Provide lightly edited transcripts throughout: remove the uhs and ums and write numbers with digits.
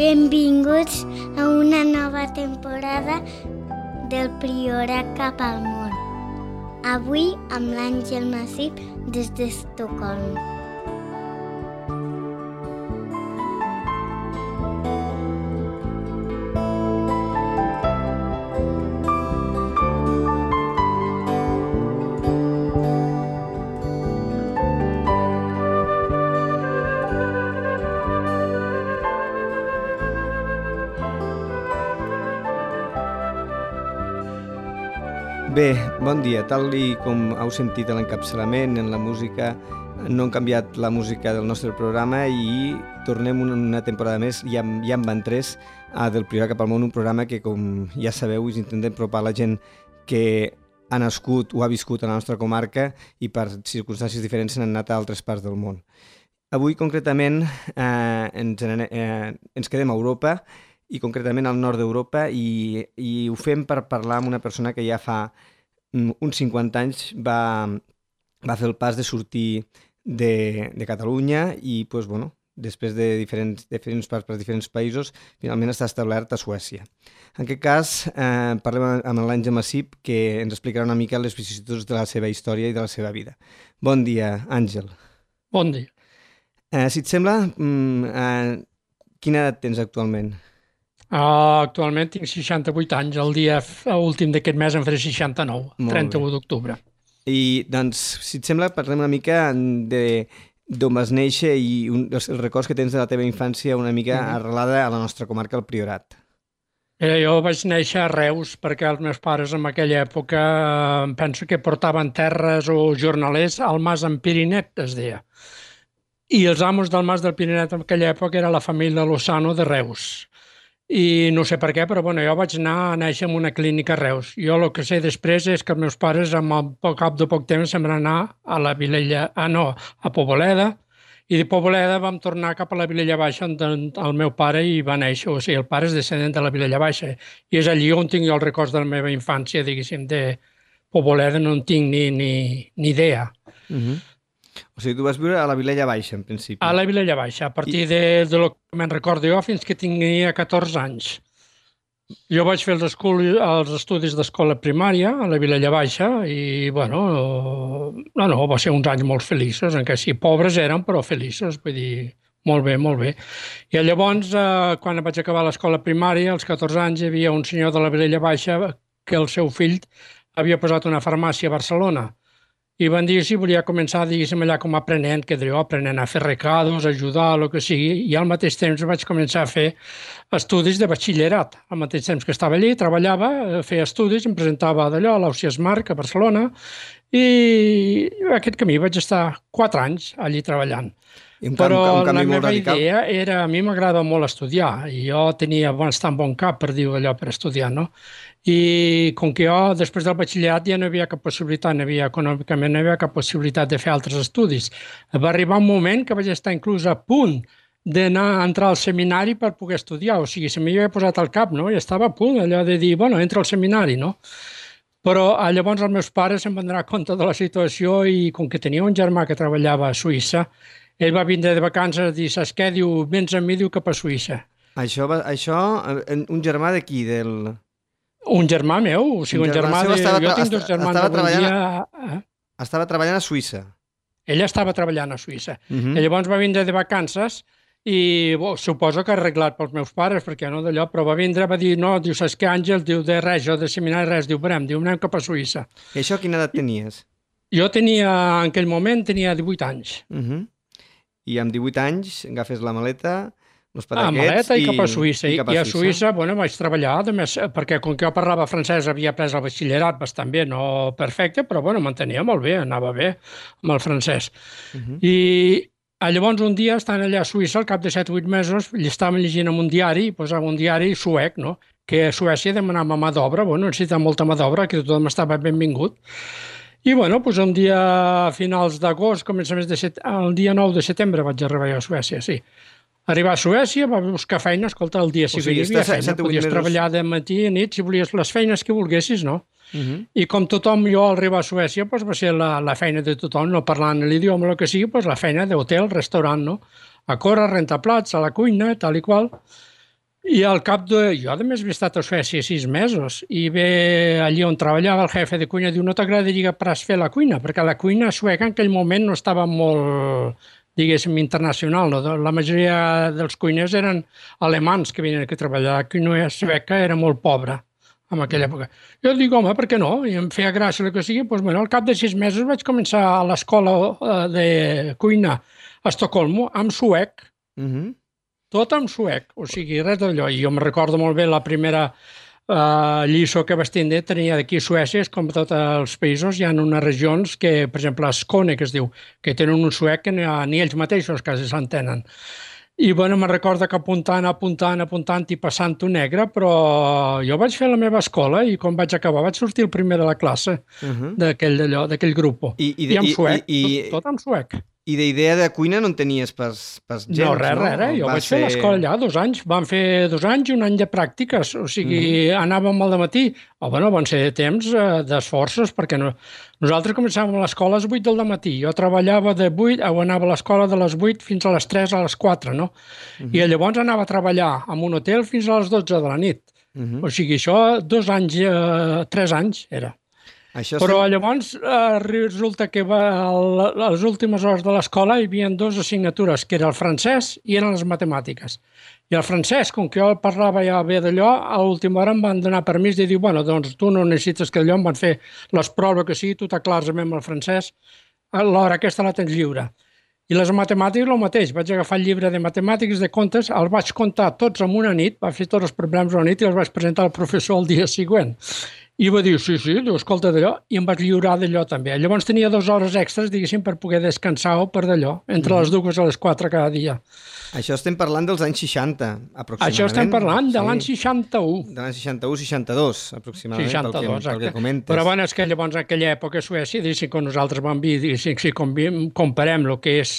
Benvinguts a una nova temporada del Priorat cap al món. Avui amb l'Àngel Massip des d'Estocolm. Bé, bon dia. Tal com heu sentit a l'encapçalament, en la música, no hem canviat la música del nostre programa i tornem una temporada més, ja en van 3, del Priorat cap al món, un programa que, com ja sabeu, us intentem apropar a la gent que ha nascut o ha viscut a la nostra comarca i per circumstàncies diferents han anat a altres parts del món. Avui, concretament, ens quedem a Europa, i concretament al nord d'Europa, i ho fem per parlar amb una persona que ja fa uns 50 anys va fer el pas de sortir de Catalunya i, després de diferents parts per diferents països, finalment està establert a Suècia. En aquest cas, parlem amb l'Àngel Massip, que ens explicarà una mica les vicissituds de la seva història i de la seva vida. Bon dia, Àngel. Bon dia. Si et sembla, quina edat tens actualment? Actualment tinc 68 anys, el dia últim d'aquest mes en faré 69, 31 d'octubre. I doncs, si et sembla, parlem una mica d'on vas néixer i els records que tens de la teva infància una mica arrelada a la nostra comarca, el Priorat. Jo vaig néixer a Reus perquè els meus pares en aquella època penso que portaven terres o jornalers al Mas en Pirinet, es deia. I els amos del Mas del Pirinet en aquella època era la família Lozano de Reus. I no sé per què, però jo vaig anar a néixer en una clínica a Reus. Jo el que sé després és que els meus pares, al cap de poc temps, se'n van anar a la Vilella, a Poboleda, i de Poboleda vam tornar cap a la Vilella Baixa on el meu pare hi va néixer, o sigui, el pare és descendent de la Vilella Baixa, i és allí on tinc jo els records de la meva infància, diguéssim, de Poboleda no en tinc ni idea. O sigui, tu vas viure a la Vilella Baixa, en principi. A la Vilella Baixa, a partir de lo que me'n recordo jo fins que tenia 14 anys. Jo vaig fer els estudis d'escola primària a la Vilella Baixa i, va ser uns anys molt feliços, encara sí, pobres eren, però feliços, vull dir, molt bé, molt bé. I llavors, quan vaig acabar l'escola primària, als 14 anys, hi havia un senyor de la Vilella Baixa que el seu fill havia posat una farmàcia a Barcelona. I van dir si volia començar, diguéssim, allà com a aprenent, aprenent a fer recados, ajudar, el que sigui, i al mateix temps vaig començar a fer estudis de batxillerat. Al mateix temps que estava allí, treballava, feia estudis, em presentava d'allò a l'Ausiàs Marc, a Barcelona, i aquest camí vaig estar 4 anys allí treballant. Però la meva idea era, a mi m'agrada molt estudiar, i jo tenia bastant bon cap, per dir allò, per estudiar, no? I com que jo, després del batxillerat, ja no hi havia cap possibilitat, econòmicament no hi havia cap possibilitat de fer altres estudis. Va arribar un moment que vaig estar inclús a punt d'anar a entrar al seminari per poder estudiar, o sigui, se m'hi havia posat al cap, no? I estava a punt, allò de dir, entra al seminari, no? Però llavors els meus pares se'n van donar compte de la situació i com que tenia un germà que treballava a Suïssa, ell va vindre de vacances i dir, saps què? Diu, vens amb mi, diu, cap a Suïssa. Això, un germà d'aquí, Un germà meu, o sigui, un germà de... Jo tinc 2 germans d'avui dia... Estava treballant a Suïssa. Ell estava treballant a Suïssa. I llavors va vindre de vacances i suposo que arreglat pels meus pares, perquè no d'allò, però va vindre, va dir, no, diu, saps què, Àngel? Diu, de res, jo de seminari res, diu, anem cap a Suïssa. I això quina edat tenies? Jo tenia, en aquell moment, tenia 18 anys. I amb 18 anys agafes la maleta, els paraquets... maleta i cap a Suïssa. I a Suïssa, vaig treballar, perquè com que jo parlava francès havia après el batxillerat bastant bé, no perfecte, però m'entenia molt bé, anava bé amb el francès. I llavors un dia, estant allà a Suïssa, al cap de 7 o 8 mesos, estàvem llegint en un diari, posava un diari suec, no? Que a Suècia demanava mà d'obra, necessitava molta mà d'obra, que tothom estava benvingut. I un dia a finals d'agost, el dia 9 de setembre vaig arribar a Suècia, sí. Arribar a Suècia, va buscar feina, escolta, el dia sí que hi havia feina, podies treballar de matí a nit, si volies les feines que volguessis, no? I com tothom, jo al arribar a Suècia, va ser la feina de tothom, no parlant l'idioma, el que sigui, la feina d'hotel, restaurant, no? A córrer, rentar plats, a la cuina, tal i qual. I al cap de... Jo, a més, havia estat a Suècia 6 mesos i ve allí on treballava el jefe de cuina, diu, no t'agradaria pas fer la cuina? Perquè la cuina sueca en aquell moment no estava molt, diguéssim, internacional. No? La majoria dels cuiners eren alemans que venien aquí a treballar. La cuina sueca era molt pobra en aquella època. Jo dic, home, per què no? I em feia gràcia el que sigui. Doncs, bueno, al cap de 6 mesos vaig començar a l'escola de cuina a Estocolmo, amb suec, tot en suec, o sigui, res d'allò. I jo me recordo molt bé la primera lliçó que vaig tindre, tenia d'aquí a Suècia, és com tots els països, hi ha unes regions que, per exemple, a Skåne, que es diu, que tenen un suec que ni ells mateixos quasi s'entenen. I, bueno, me recordo que apuntant i passant-ho negre, però jo vaig fer la meva escola i quan vaig acabar vaig sortir el primer de la classe d'aquell grup. I en suec, tot en suec. I d'idea de cuina no en tenies pas gens, no? No, res. Jo vaig fer l'escola allà 2 anys. Vam fer 2 anys i 1 any de pràctiques. O sigui, anàvem al dematí. Van ser temps d'esforços, perquè nosaltres començàvem a l'escola a les 8 del matí. Jo treballava de 8, anava a l'escola de les 8 fins a les 3, a les 4, no? I llavors anava a treballar en un hotel fins a les 12 de la nit. O sigui, això 2 anys, 3 anys era. Però llavors resulta que a les últimes hores de l'escola hi havia 2 assignatures, que era el francès i eren les matemàtiques. I el francès, com que jo parlava ja bé d'allò, a l'última hora em van donar permís de dir, bueno, doncs tu no necessites que allò, em van fer les proves que sigui, tu t'aclares amb el francès, l'hora aquesta la tens lliure. I les matemàtiques el mateix, vaig agafar el llibre de matemàtiques, de comptes, els vaig comptar tots en una nit, vaig fer tots els problemes una nit i els vaig presentar al professor el dia següent. I va dir, sí, diu, escolta d'allò, i em vaig lliurar d'allò també. Llavors tenia 2 hores extres, diguéssim, per poder descansar o per d'allò, entre les 2 a les 4 cada dia. Això estem parlant dels anys 60, aproximadament. Això estem parlant de l'any 61. De l'any 61-62, aproximadament, 62, pel que comentes. Però bueno, és que llavors en aquella època a Suècia, diguéssim, quan nosaltres vam dir, diguéssim, si comparem el que és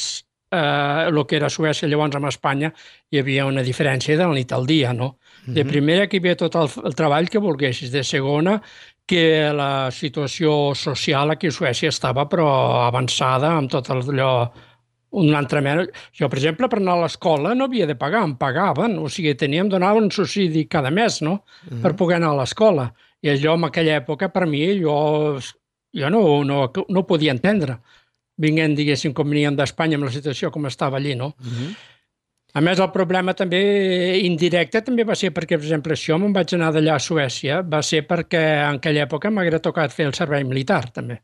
el que era Suècia llavors amb Espanya, hi havia una diferència de la nit al dia, no? De primera, que hi havia tot el treball que volguessis. De segona, que la situació social aquí a Suècia estava però avançada amb tot allò, una altra mena. Jo, per exemple, per anar a l'escola no havia de pagar, em pagaven, o sigui, donaven un subsidi cada mes, no?, per poder anar a l'escola. I allò, en aquella època, per mi, jo no podia entendre, vinguent, diguéssim, com veníem d'Espanya amb la situació com estava allí, no? A més, el problema també indirecte també va ser perquè, per exemple, si jo me'n vaig anar d'allà a Suècia, va ser perquè en aquella època m'haguera tocat fer el servei militar, també.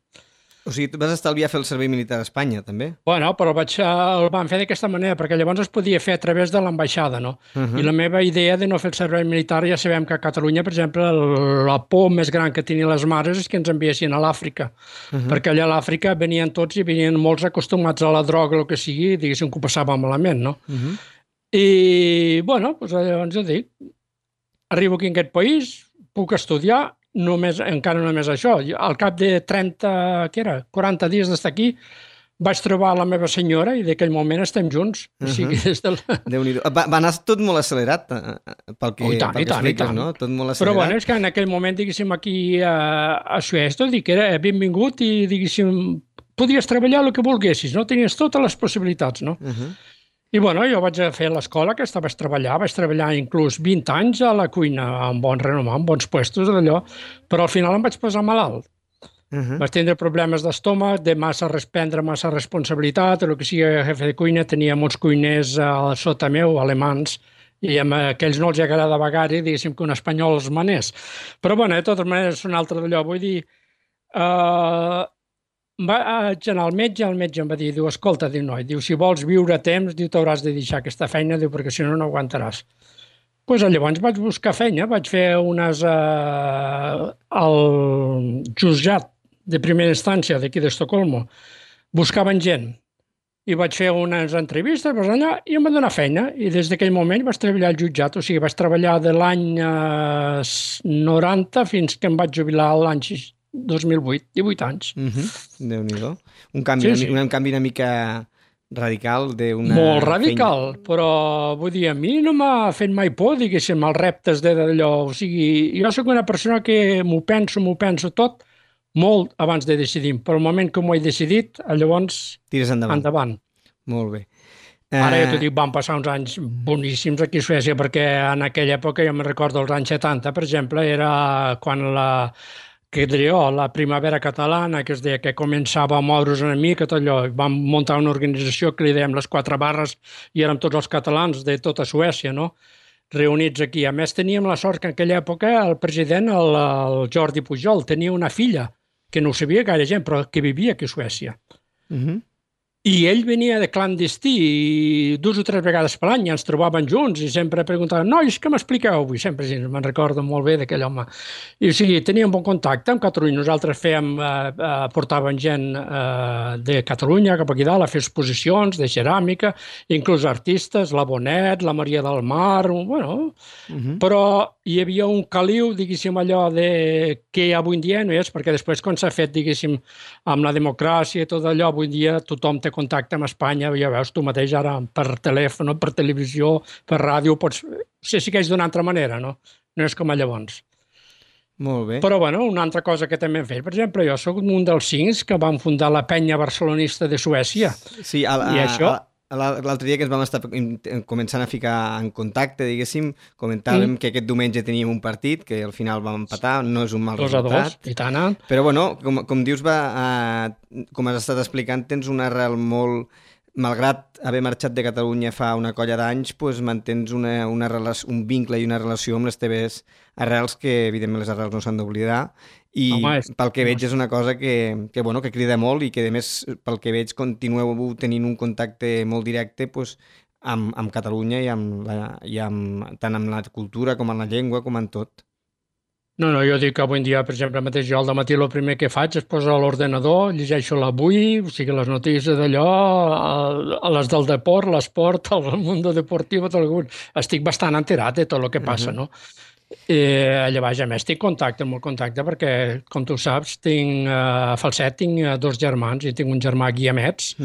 O sigui, vas estalviar fer el servei militar a Espanya, també? Bueno, però el van fer d'aquesta manera, perquè llavors es podia fer a través de l'ambaixada, no? I la meva idea de no fer el servei militar, ja sabem que a Catalunya, per exemple, la por més gran que tenien les mares és que ens enviessin a l'Àfrica, perquè allà a l'Àfrica venien tots i venien molts acostumats a la droga, el que sigui, diguéssim que ho passava malament, no? I, bueno, doncs llavors jo dic, arribo aquí en aquest país, puc estudiar, encara només això. Al cap de 40 dies d'estar aquí, vaig trobar la meva senyora i d'aquell moment estem junts. O sigui, Déu-n'hi-do. Va anar tot molt accelerat, pel que expliques, no? Tot molt accelerat. Però bueno, és que en aquell moment, diguéssim, aquí a Suècia, dic que era benvingut i, diguéssim, podies treballar el que volguessis, no? Tenies totes les possibilitats, no? I bueno, jo vaig fer l'escola, aquesta vaig treballar inclús 20 anys a la cuina, amb bon renom, amb bons puestos d'allò, però al final em vaig posar malalt. Vaig tindre problemes d'estómac, de prendre massa responsabilitat, el que sigui jefe de cuina, tenia molts cuiners sota meu, alemans, i a aquells no els agradava gaire, diguéssim que un espanyol els manés. Però bueno, de totes maneres, és un altre d'allò, vull dir... Vaig anar al metge em va dir, diu, escolta, diu, noi, diu, si vols viure a temps, diu, t'hauràs de deixar aquesta feina, diu, perquè si no, no aguantaràs. Doncs llavors vaig buscar feina, vaig fer unes al jutjat de primera instància d'aquí d'Estocolmo. Buscaven gent i vaig fer unes entrevistes allà i em van donar feina. I des d'aquell moment vaig treballar al jutjat, o sigui, vaig treballar de l'any 90 fins que em vaig jubilar l'any 2008, 18 anys. Déu-n'hi-do. Un canvi una mica radical d'una feina. Molt radical, però vull dir, a mi no m'ha fet mai por, diguéssim, els reptes d'allò. O sigui, jo sóc una persona que m'ho penso tot molt abans de decidir, però al moment que m'ho he decidit, llavors tires endavant. Endavant. Molt bé. Ara ja t'ho dic, van passar uns anys boníssims aquí a Suècia, perquè en aquella època, jo me'n recordo els anys 70, per exemple, era quan la primavera catalana, que es deia que començava a moure's una mica, tot allò, vam muntar una organització que li dèiem les 4 barres i érem tots els catalans de tota Suècia, no?, reunits aquí. A més, teníem la sort que en aquella època el president, el Jordi Pujol, tenia una filla, que no ho sabia gaire gent, però que vivia aquí a Suècia. I ell venia de clandestí i 2 o 3 vegades per l'any ens trobaven junts i sempre preguntaven, nois, què m'expliqueu avui? Sempre me'n recordo molt bé d'aquell home. I o sigui, teníem bon contacte amb Catalunya. Nosaltres portàvem gent de Catalunya cap aquí dalt a fer exposicions de ceràmica, inclús artistes, la Bonet, la Maria del Mar, bueno, però hi havia un caliu, diguéssim, allò que avui en dia no és, perquè després quan s'ha fet, diguéssim, amb la democràcia i tot allò, avui en dia tothom té contacte amb Espanya, ja veus tu mateix ara per telèfon, per televisió, per ràdio, se segueix d'una altra manera, no? No és com a llavors. Molt bé. Però, bueno, una altra cosa que també hem fet, per exemple, jo soc un dels 5 que van fundar la penya barcelonista de Suècia. Sí, i això... L'altre dia que ens vam estar començant a ficar en contacte, diguéssim, comentàvem que aquest diumenge teníem un partit, que al final vam empatar, no és un mal resultat. 2-2, i tant. Però, bueno, com dius, com has estat explicant, tens una arrel molt... Malgrat haver marxat de Catalunya fa una colla d'anys, doncs mantens un vincle i una relació amb les teves arrels, que evidentment les arrels no s'han d'oblidar, i pel que veig és una cosa que crida molt i que, a més, pel que veig, continueu tenint un contacte molt directe amb Catalunya i tant amb la cultura com amb la llengua, com en tot. No, jo dic que avui en dia, per exemple, mateix jo al matí el primer que faig és posar a l'ordenador, llegeixo l'avui, o sigui, les notícies d'allò, les del deport, l'esport, el món deportiu, estic bastant enterat de tot el que passa, no? Llavors, a més, tinc molt contacte, perquè, com tu saps, a Falset tinc 2 germans i tinc un germà Guiamets,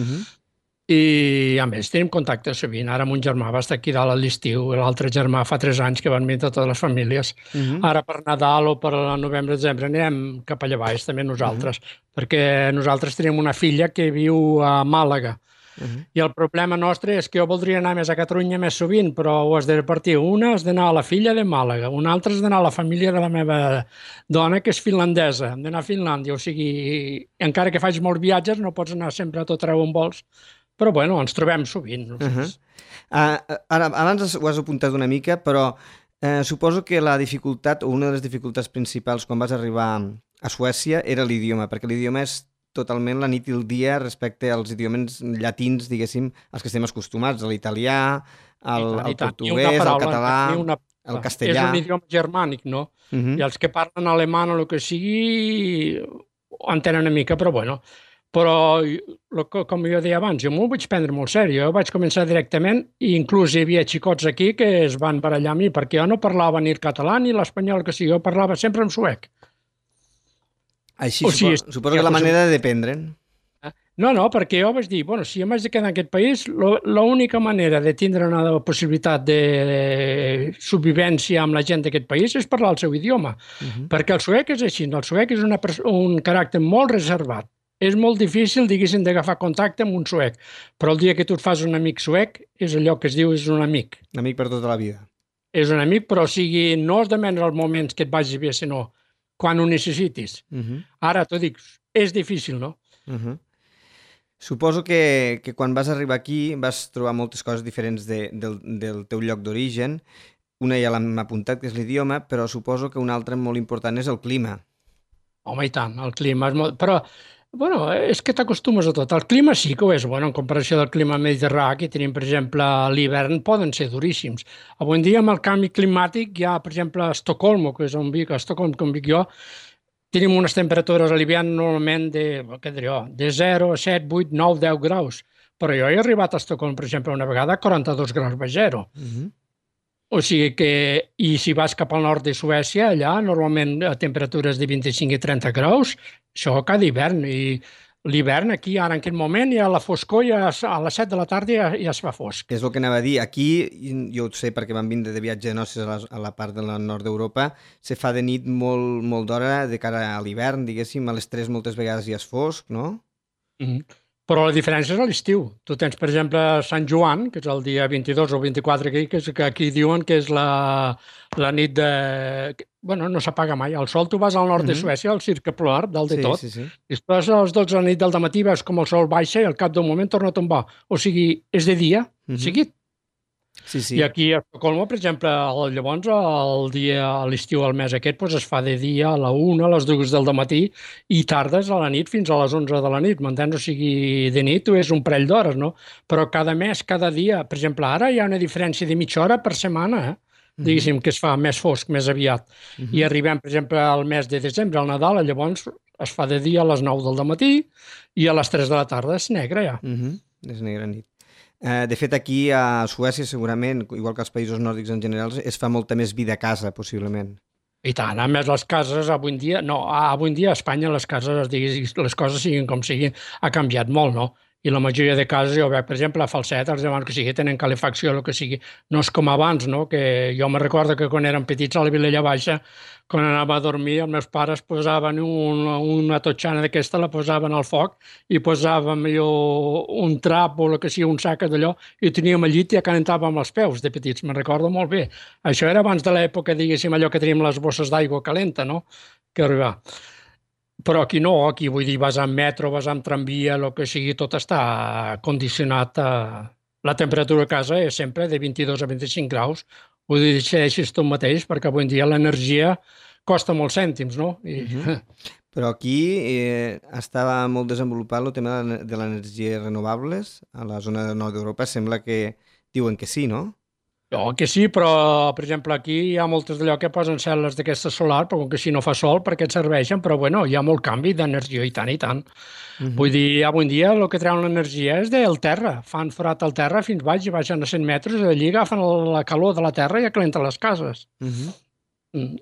i a més tenim contacte sovint. Ara mon germà va estar aquí dalt a l'estiu, l'altre germà fa 3 anys que van venir totes les famílies. Ara per Nadal o per novembre-desembre anirem cap allà baix també nosaltres, perquè nosaltres tenim una filla que viu a Màlaga i el problema nostre és que jo voldria anar més a Catalunya més sovint, però ho has de repartir. Una has d'anar a la filla de Màlaga, una altra has d'anar a la família de la meva dona, que és finlandesa, hem d'anar a Finlàndia, o sigui, encara que faig molts viatges no pots anar sempre a tot arreu on vols. Però, bueno, ens trobem sovint. Ara, abans ho has apuntat una mica, però suposo que la dificultat, o una de les dificultats principals quan vas arribar a Suècia era l'idioma, perquè l'idioma és totalment la nit i el dia respecte als idiomes llatins, diguéssim, als que estem acostumats, a l'italià, al portuguès, al català, al castellà. És un idioma germànic, no? I els que parlen alemany o el que sigui entenen una mica, però, bueno... Però, com jo deia abans, jo m'ho vaig prendre molt seriós. Jo vaig començar directament i inclús hi havia xicots aquí que es van barallar a mi perquè jo no parlava ni el català ni l'espanyol, que sigui, jo parlava sempre en suec. Així, suposo que la manera de dependre'n. No, perquè jo vaig dir, bueno, si jo m'haig de quedar en aquest país, l'única manera de tindre una possibilitat de subvivència amb la gent d'aquest país és parlar el seu idioma. Perquè el suec és així, el suec és un caràcter molt reservat. És molt difícil, diguéssim, d'agafar contacte amb un suec, però el dia que tu et fas un amic suec és allò que es diu és un amic. Un amic per tota la vida. És un amic, però o sigui, no has de vendre els moments que et vagi bé, sinó quan ho necessitis. Ara t'ho dic, és difícil, no? Suposo que quan vas arribar aquí vas trobar moltes coses diferents del teu lloc d'origen. Una ja l'hem apuntat, que és l'idioma, però suposo que una altra molt important és el clima. Home, i tant, el clima és molt... Però, bueno, és que t'acostumes a tot. El clima sí que ho és, bueno, en comparació del clima mediterrani, que tenim, per exemple, a l'hivern poden ser duríssims. Avui en dia, amb el canvi climàtic, ja, per exemple, a Estocolm, que és on vic, a Estocolm, com vic jo, tenim unes temperatures a l'hivern normalment de 0, 7, 8, 9, 10 graus. Però jo he arribat a Estocolm, per exemple, una vegada a 42 graus baix zero. O sigui que, i si vas cap al nord de Suècia, allà normalment a temperatures de 25 i 30 graus, això cada hivern. I l'hivern aquí, ara en aquest moment, ja a la foscor, ja a les 7 de la tarda ja es fa fosc. És el que anava a dir. Aquí, jo ho sé perquè vam vindre de viatge de noces a la part del nord d'Europa, se fa de nit molt d'hora de cara a l'hivern, diguéssim, a les 3 moltes vegades ja és fosc, no? Però la diferència és a l'estiu. Tu tens, per exemple, Sant Joan, que és el dia 22 o 24 aquí, que aquí diuen que és la nit de... Bueno, no s'apaga mai. El sol, tu vas al nord de Suècia, al Cirque Polar, dalt de Sí, tot, sí, sí. i estàs a les 12 de la nit del dematí, veus com el sol baixa i al cap d'un moment torna a tombar. O sigui, és de dia, seguit. Sí, sí. I aquí a Estocolmo, per exemple, llavors el dia, a l'estiu, al mes aquest, doncs es fa de dia a la 1, a les 2 del matí i tardes a la nit fins a les 11 de la nit, m'entens? O sigui, de nit és un parell d'hores, no? Però cada mes, cada dia, per exemple, ara hi ha una diferència de mitja hora per setmana, diguéssim, que es fa més fosc, més aviat. I arribem, per exemple, al mes de desembre, al Nadal, llavors es fa de dia a les 9 del matí i a les 3 de la tarda és negre ja. És negra nit. De fet, aquí a Suècia, segurament, igual que als països nòrdics en general, es fa molta més vida a casa, possiblement. I tant, a més les cases avui en dia, a Espanya les cases, les coses siguin com siguin, ha canviat molt, no? I la majoria de cases, jo veig, per exemple, a Falset, els demans que sigui, tenen calefacció, el que sigui. No és com abans, no? Que jo me recordo que quan érem petits a la Vilella Baixa, quan anava a dormir, els meus pares posaven una totxana d'aquesta, la posaven al foc i posàvem un trap o el que sigui, un sac d'allò, i ho teníem al llit i calentàvem els peus de petits, me'n recordo molt bé. Això era abans de l'època, diguéssim, allò que teníem les bosses d'aigua calenta, no?, que arribava. Però aquí no, aquí vull dir, vas amb metro, vas amb tramvia, el que sigui, tot està condicionat a... La temperatura a casa és sempre de 22 a 25 graus. Ho decideixes tu mateix, perquè avui en dia l'energia costa molts cèntims, no? Però aquí estava molt desenvolupat el tema de les energies renovables. A la zona del nord d'Europa sembla que diuen que sí, no? Que sí, però, per exemple, aquí hi ha moltes d'allò que posen cel·les d'aquesta solar, però com que si no fa sol, perquè et serveixen, però bueno, hi ha molt canvi d'energia, i tant, i tant. Vull dir, avui en dia el que treuen l'energia és del terra. Fan forat al terra fins baix i baixen a 100 metres i d'allí agafen la calor de la terra i acalenten les cases.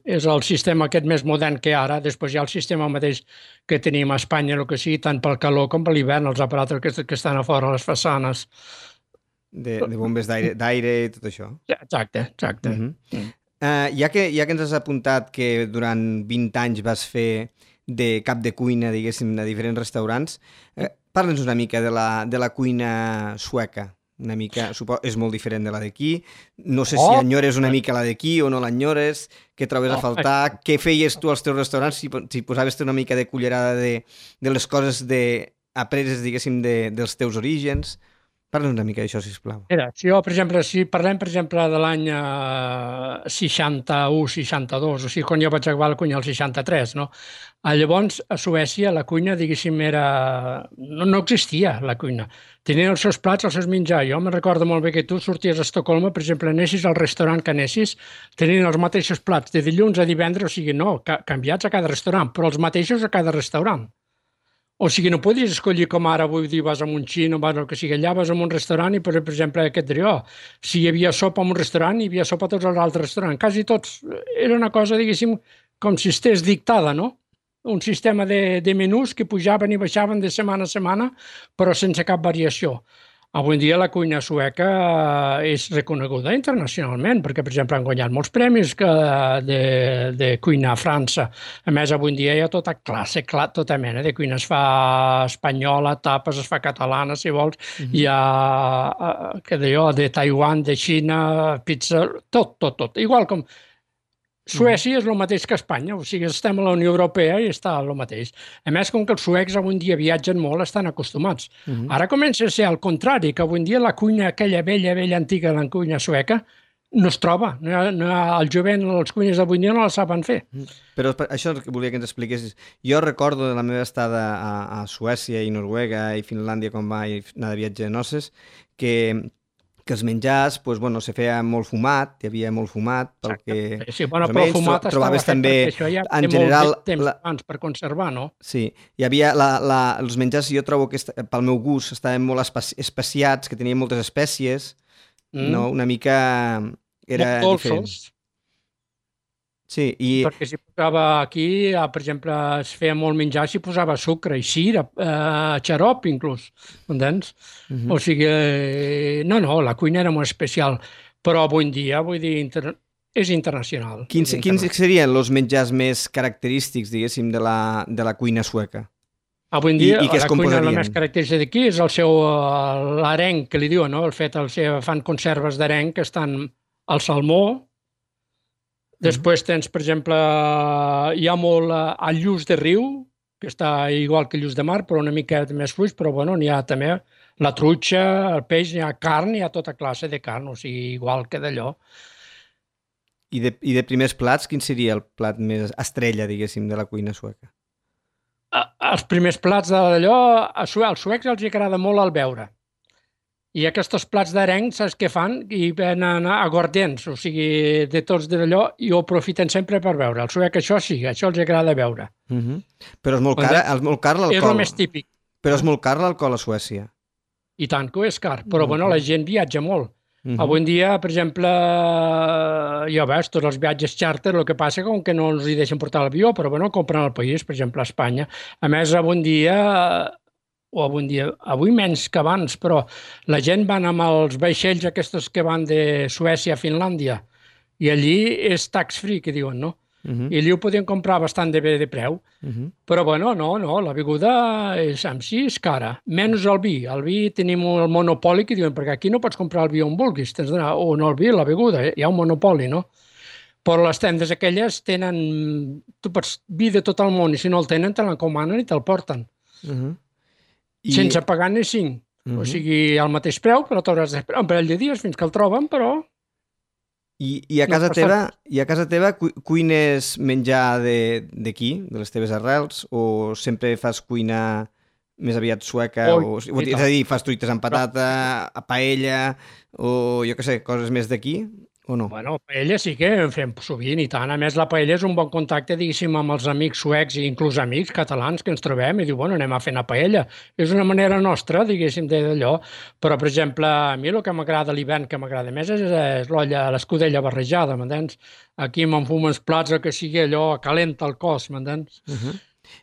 És el sistema aquest més modern que ara. Després hi ha el sistema mateix que tenim a Espanya, el que sigui, tant pel calor com per l'hivern, els aparatos que estan a fora, les façanes. De bombes d'aire i tot això. Exacte. Ja que ens has apuntat que durant 20 anys vas fer de cap de cuina, diguéssim, a diferents restaurants, parla'ns una mica de la cuina sueca. Una mica, és molt diferent de la d'aquí. No sé si enyores una mica la d'aquí o no l'enyores, què trobes a faltar, què feies tu als teus restaurants, si posaves una mica de cullerada de les coses apreses, diguéssim, dels teus orígens. Parla'ns una mica d'això, sisplau. Mira, si parlem, per exemple, de l'any 61-62, o sigui, quan jo vaig acabar la cuina al 63, no? Llavors, a Suècia, la cuina, diguéssim, no existia, la cuina. Tenien els seus plats, els seus menjars. Jo me'n recordo molt bé que tu sorties a Estocolmo, per exemple, anessis al restaurant que anessis, tenien els mateixos plats de dilluns a divendres, o sigui, no, canviats a cada restaurant, però els mateixos a cada restaurant. O sigui, no podies escollir com ara, vull dir, vas a un xino, vas al que sigui, allà vas a un restaurant i, per exemple, aquest diria, si hi havia sopa en un restaurant, hi havia sopa a tots els altres restaurants. Quasi tots. Era una cosa, diguéssim, com si estigués dictada, no? Un sistema de menús que pujaven i baixaven de setmana a setmana, però sense cap variació. Avui en dia la cuina sueca és reconeguda internacionalment, perquè, per exemple, han guanyat molts premis de cuina a França. A més, avui en dia hi ha tota classe, tota mena de cuina. Es fa espanyola, tapes, es fa catalana, si vols. Hi ha, de Taiwan, de Xina, pizza, tot. Igual com... Suècia és el mateix que Espanya, o sigui, estem a la Unió Europea i està el mateix. A més, com que els suecs avui en dia viatgen molt, estan acostumats. Ara comença a ser al contrari, que avui en dia la cuina, aquella vella antiga, la cuina sueca, no es troba. El jovent, els cuines d'avui dia no la saben fer. Però això que volia que ens expliquessis. Jo recordo de la meva estada a Suècia i Noruega i Finlàndia quan vaig anar de viatge de noces, que els menjars, se feia molt fumat, hi havia molt fumat, perquè sí, però fumat trobaves també, en general... Molt temps abans per conservar, no? Sí, hi havia els menjars, jo trobo que pel meu gust estaven molt especiats, que tenien moltes espècies, no? Una mica era diferent. Sí, perquè si posava aquí, per exemple, es feia molt menjar, s'hi posava sucre i sirop, xarop inclús, entens? O sigui, la cuina era molt especial, però avui en dia, vull dir, és internacional. Quins serien els menjars més característics, diguéssim, de la cuina sueca? Avui en dia, I què es la cuina la composarien? més característica d'aquí és el seu l'arenc, que li diuen, no? El fet, fan conserves d'arenc que estan al salmó. Després tens, per exemple, hi ha molt el lluç de riu, que està igual que el lluç de mar, però una mica més fluix, però bueno, n'hi ha també la truita, el peix, n'hi ha carn, hi ha tota classe de carn, o sigui, igual que d'allò. I de primers plats, quin seria el plat més estrella, diguéssim, de la cuina sueca? Els primers plats d'allò, als suecs els agrada molt el beure. I aquests plats d'arenc, saps què fan? I venen aguardents, o sigui, de tots d'allò, i ho aprofiten sempre per beure. El suec això sí, això els agrada beure. Però és molt car l'alcohol. És el més típic. Però és molt car l'alcohol a Suècia. I tant que ho és car, però bueno, la gent viatja molt. Avui en dia, per exemple, ja veus, tots els viatges xàrter, el que passa com que no els hi deixen portar l'avió, però bueno, compren al país, per exemple, a Espanya. A més, avui menys que abans, però la gent van amb els vaixells aquests que van de Suècia a Finlàndia, i allí és tax-free, que diuen, no? I allí ho podien comprar bastant de bé de preu. Però bueno, no, la beguda en si és cara. Menys el vi. El vi tenim el monopoli que diuen, perquè aquí no pots comprar el vi on vulguis, tens d'anar, o no el vi, la beguda, hi ha un monopoli, no? Però les tendes aquelles tenen... Tu pots vi de tot el món, i si no el tenen, te l'encomanen i te'l porten. Sense pagar ni 5. O sigui, al mateix preu, però t'hauràs d'esperar un parell de dies fins que el troben, però... I a casa teva cuines menjar d'aquí, de les teves arrels, o sempre fas cuina més aviat sueca? És a dir, fas truites amb patata, paella, o jo què sé, coses més d'aquí, o no? Bueno, paella sí que en fem sovint i tant. A més, la paella és un bon contacte, diguéssim, amb els amics suecs i inclús amics catalans que ens trobem i diu, bueno, anem a fer una paella. És una manera nostra, diguéssim, d'allò. Però, per exemple, a mi el que m'agrada a l'hivern, que m'agrada més, és l'olla, l'escudella barrejada, m'entens? Aquí m'enfumo els plats, el que sigui allò, calenta el cos, m'entens?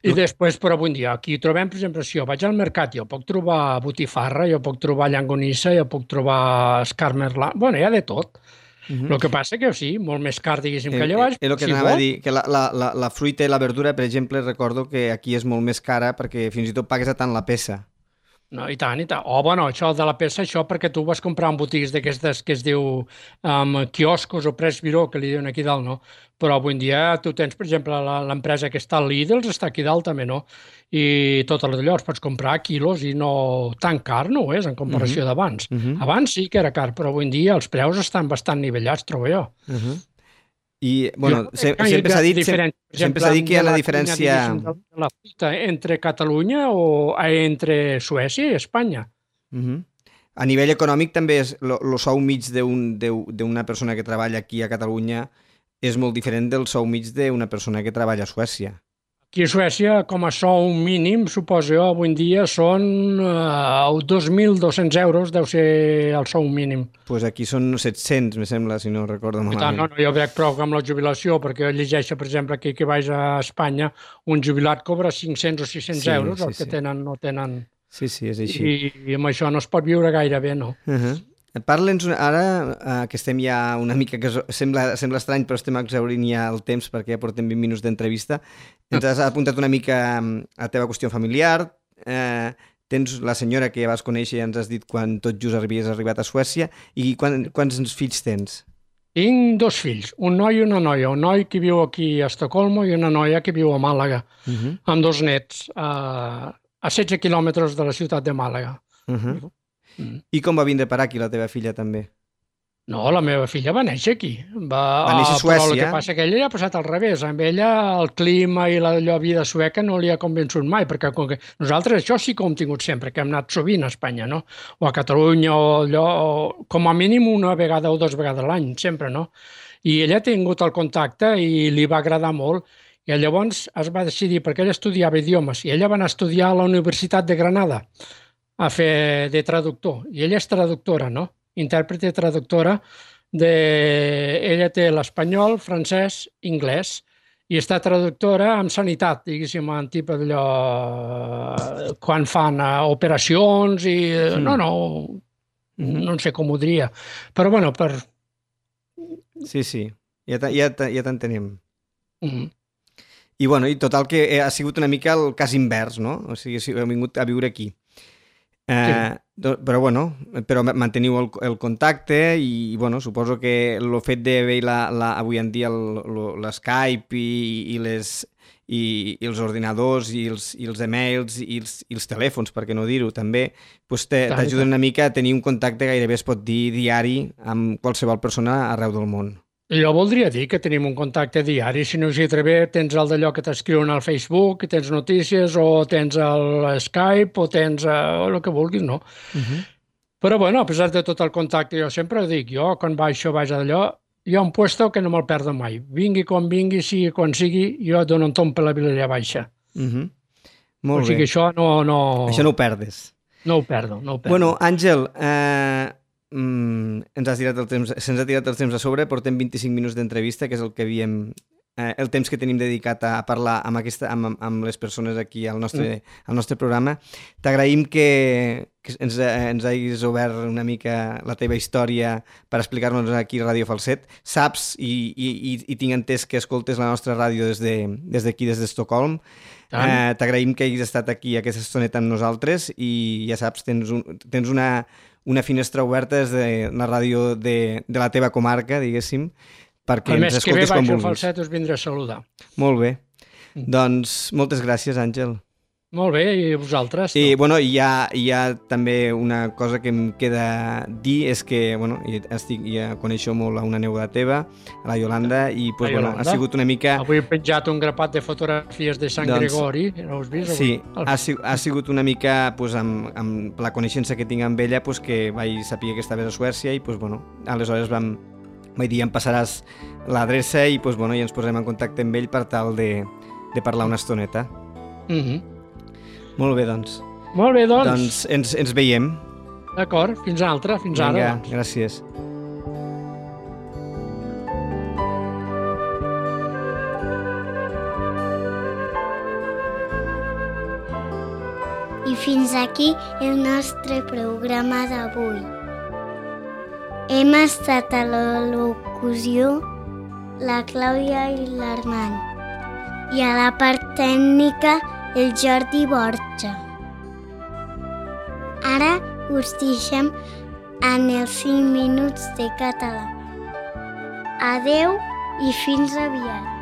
I després, però avui dia, aquí trobem, per exemple, si jo vaig al mercat, jo puc trobar botifarra, jo puc trobar llangonissa, jo puc trobar escarmerla, bueno, hi ha de tot. El que passa que sí, molt més car, diguéssim, que allà baix. És el que anava a dir, que la fruita i la verdura, per exemple, recordo que aquí és molt més cara perquè fins i tot pagues a tant la peça. No, i tant, i tant. Bueno, això de la peça, això perquè tu vas comprar en botigues d'aquestes que es diu quioscos o Pressbiró, que li diuen aquí dalt, no? Però avui en dia tu tens, per exemple, l'empresa que està al Lidl, està aquí dalt també, no? I tot allò els pots comprar a quilos i no tan car no ho és en comparació d'abans. Abans sí que era car, però avui en dia els preus estan bastant nivellats, trobo jo. I, bueno, sempre s'ha dit que hi ha una diferència... La fruita entre Catalunya o entre Suècia i Espanya. A nivell econòmic també el sou mig d'una persona que treballa aquí a Catalunya és molt diferent del sou mig d'una persona que treballa a Suècia. Aquí a Suècia, com a sou mínim, suposo jo, avui en dia són 2.200 euros, deu ser el sou mínim. Doncs aquí són 700, me sembla, si no recordo malament. No, jo veig prou amb la jubilació, perquè llegeixo, per exemple, aquí que vaig a Espanya, un jubilat cobra 500 o 600 euros, els que tenen no tenen... Sí, és així. I amb això no es pot viure gaire bé, no? Parla'ns ara, que estem ja una mica, que sembla estrany, però estem exhaurint ja el temps perquè ja portem 20 minuts d'entrevista. Ens has apuntat una mica a la teva qüestió familiar. Tens la senyora que vas conèixer i ens has dit quan tot just havies arribat a Suècia. I quants fills tens? Tinc 2 fills, un noi i una noia. Un noi que viu aquí a Estocolmo i una noia que viu a Màlaga, amb 2 nets, a 16 quilòmetres de la ciutat de Màlaga. I com va vindre per aquí la teva filla també? No, la meva filla va néixer aquí. Va néixer a Suècia? Però el que passa que ella ja ha passat al revés. Amb ella el clima i la vida sueca no li ha convençut mai, perquè nosaltres això sí que ho hem tingut sempre, que hem anat sovint a Espanya, no? O a Catalunya, o allò, com a mínim una vegada o 2 vegades a l'any, sempre, no? I ella ha tingut el contacte i li va agradar molt. I llavors es va decidir, perquè ella estudiava idiomes, i ella va anar a estudiar a la Universitat de Granada, a fer de traductor, i ella és traductora, no? Intèrprete traductora, ella té l'espanyol, francès, anglès, i està traductora en sanitat, diguéssim, en tipus d'allò, quan fan operacions i... No sé com ho diria, però bueno, per... Sí, ja t'entenem. I, bueno, i total que ha sigut una mica el cas invers, no? O sigui, heu vingut a viure aquí. Però, bueno, però manteniu el contacte i, bueno, suposo que el fet d'haver avui en dia l'Skype i els ordinadors i els emails i els telèfons, per què no dir-ho, també, doncs t'ajuden una mica a tenir un contacte gairebé es pot dir diari amb qualsevol persona arreu del món. Jo voldria dir que tenim un contacte diari. Si no us hi atreve, tens el d'allò que t'escriuen al Facebook, tens notícies, o tens el Skype, o tens el que vulguis, no? Però, bueno, a pesar de tot el contacte, jo sempre ho dic, jo quan vaig d'allò, hi ha un puesto que no me'l perdo mai. Vingui quan vingui, sigui quan sigui, jo dono un tomb per la Vilella Baixa. Molt bé. O sigui, això no... Això no ho perdes. No ho perdo, no ho perdo. Bueno, Àngel, se'ns ha tirat el temps a sobre, portem 25 minuts d'entrevista, que és el que havíem... el temps que tenim dedicat a parlar amb les persones aquí al nostre programa. T'agraïm que ens hagis obert una mica la teva història per explicar-nos aquí a Ràdio Falset. Saps i tinc entès que escoltes la nostra ràdio des d'aquí, des d'Estocolm. T'agraïm que hagis estat aquí aquesta estoneta amb nosaltres i ja saps, tens una finestra oberta des de la ràdio de la teva comarca, diguéssim, perquè ens escoltes quan vulguis. El mes que ve vaig al Falset, us vindré a saludar. Molt bé. Doncs moltes gràcies, Àngel. Molt bé, i vosaltres? I, bueno, hi ha també una cosa que em queda dir, és que, bueno, ja coneixo molt a una neboda teva, a la Iolanda, i pues, bueno, ha sigut una mica... Avui he penjat un grapat de fotografies de Sant Gregori, no us vist? Sí, ha sigut una mica, pues, amb la coneixença que tinc amb ella, pues, que vaig saber que estaves a Suècia i, pues, bueno, aleshores vaig dir, em passaràs l'adreça i, pues, bueno, ja ens posem en contacte amb ell per tal de parlar una estoneta. Molt bé, doncs. Molt bé, doncs. Doncs ens veiem. D'acord, fins altra, fins ara. Vinga, gràcies. I fins aquí el nostre programa d'avui. Hem estat a la locució la Clàudia i l'Armand i a la part tècnica el Jordi Borja. Ara us deixem en els 5 minuts de català. Adeu i fins aviat.